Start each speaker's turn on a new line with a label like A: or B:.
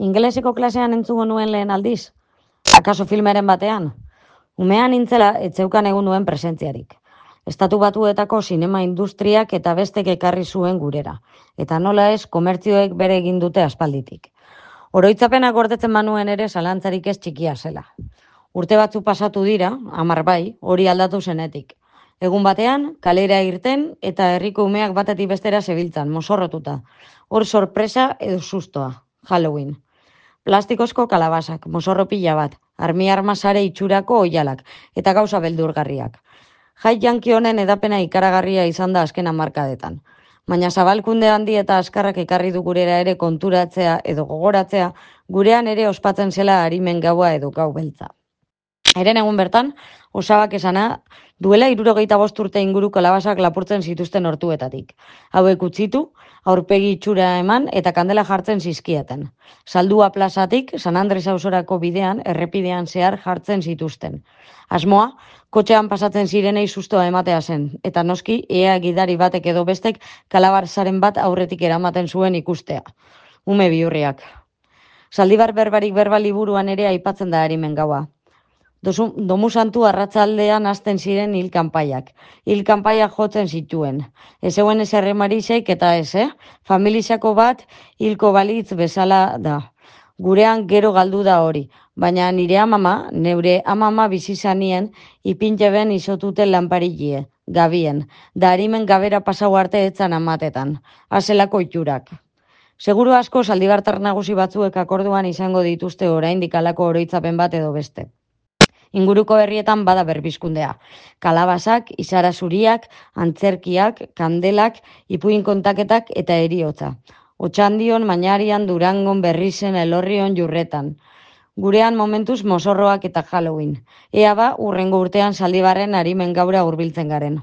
A: Ingeleseko klasean entzungo nuen lehen aldiz? Akaso filmeren batean? Umean nintzela etzeukan egun nuen presentziarik. Estatu Batuetako sinema industriak eta bestek ekarri zuen gurera. Eta nola ez, komertzioek bere egin dute aspalditik. Oroitzapenak gordetzen manuen ere zalantzarik ez txikia zela. Urte batzu pasatu dira, 10 bai, hori aldatu zenetik. Egun batean, kalera irten eta herriko umeak batetik bestera zebiltzan, mozorrotuta. Hor sorpresa edo sustoa, Halloween. Plastikozko kalabasak, mozorro pila bat, arma sare itxurako oihalak eta gauza beldurgarriak. Jai janki honen edapena ikaragarria izan da azken hamarkadetan. Baina zabalkunde handi eta azkarrak ekarri du gurera ere konturatzea edo gogoratzea, gurean ere ospatzen zela arimen gaua edo gau beltza. Eren egun bertan, osabak esana, duela 75 urte inguru kalabasak lapurtzen zituzten hortuetatik. Hauek utzitu, aurpegi itxura eman eta kandela jartzen zizkieten. Saldua plazatik, San Andres ausorako bidean, errepidean zehar jartzen zituzten. Asmoa, kotxean pasatzen zirenei sustoa ematea zen, eta noski, ea gidari batek edo bestek kalabarzaren bat aurretik eramaten zuen ikustea. Ume bihurriak. Zaldibar berbarik berba liburuan ere aipatzen da arimen gaua. Domu santu arratsaldean hasten ziren hil-kanpaiak. Hil-kanpaiak jotzen zituen. Ez zeuen ez erremarizeik eta ez, familizako bat hilko balitz bezala da. Gurean gero galdu da hori, baina neure amama bizizanien ipinteben izotuten lanparilie, gabien, da harimen gabera pasau arte etzan amatetan, azelako itxurak. Seguru asko zaldibartar nagusi batzuek akorduan izango dituzte oraindik halako oroitzapen bat edo beste. Inguruko herrietan bada berbizkundea. Kalabasak, izara zuriak, antzerkiak, kandelak, ipuin kontaketak eta eriotza. Otxandion, Mañarian, Durangon, Berrizen, Elorrion, Jurretan. Gurean momentuz mozorroak eta Halloween. Ea ba, urrengo urtean Zaldibarren arimen gaura hurbiltzen garen.